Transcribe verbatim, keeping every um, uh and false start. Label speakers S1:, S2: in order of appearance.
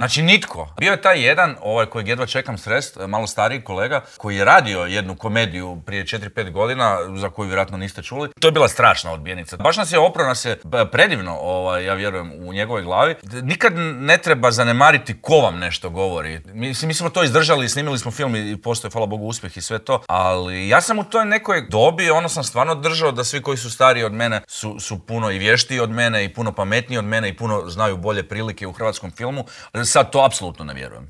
S1: Znači nitko. Bio je taj jedan, ovaj kojeg jedva čekam srest, malo stariji kolega, koji je radio jednu komediju prije četiri pet godina, za koju vjerojatno niste čuli. To je bila strašna odbijenica. Baš nas je opro, nas je predivno, ovaj, ja vjerujem, u njegovoj glavi. Nikad ne treba zanemariti ko vam nešto govori. Mi, mi smo to izdržali, snimili smo film i postoje, hvala Bogu, uspjeh i sve to, ali ja sam u toj nekoj dobi, ono sam stvarno držao da svi koji su stariji od mene su, su puno i vještiji od mene i puno pametniji od mene i puno znaju bolje prilike u hrvatskom filmu. Sad to apsolutno ne vjerujem.